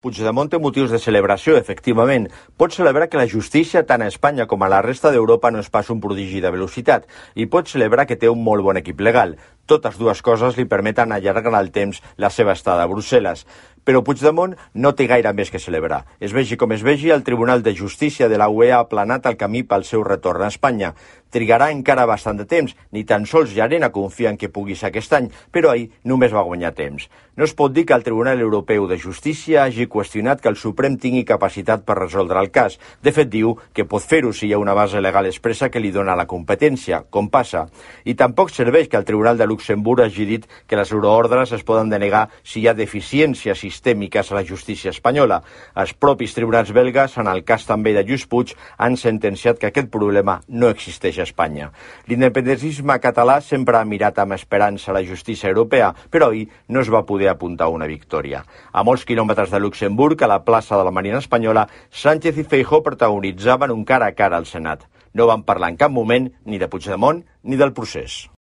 Puigdemont té motius de celebració, efectivament. Pot celebrar que la justícia, tant a Espanya com a la resta d'Europa, no és pas un prodigi de velocitat, i pot celebrar que té un molt bon equip legal. Totes dues coses li permeten allargar el temps la seva estada a Brussel·les. Però Puigdemont no té gaire més que celebrar. Es vegi com es vegi, el Tribunal de Justícia de la UE ha aplanat el camí pel seu retorn a Espanya. Trigarà encara bastant de temps, ni tan sols Llarena confia en que pugui ser aquest any, però ahir només va guanyar temps. No es pot dir que el Tribunal Europeu de Justícia hagi qüestionat que el Suprem tingui capacitat per resoldre el cas. De fet, diu que pot fer-ho si hi ha una base legal expressa que li dona la competència, com passa. I tampoc serveix que el Tribunal de Luxemburg hagi dit que les euroordres es poden denegar si hi ha deficiències sistèmiques a la justícia espanyola. Els propis tribunals belgues, en el cas també de Lluís Puig, han sentenciat que aquest problema no existeix a Espanya. L'independentisme català sempre ha mirat amb esperança la justícia europea, però ahir no es va poder apuntar una victòria. A molts quilòmetres de Luxemburg, a la plaça de la Marina Espanyola, Sánchez i Feijóo protagonitzaven un cara a cara al Senat. No van parlar en cap moment ni de Puigdemont ni del procés.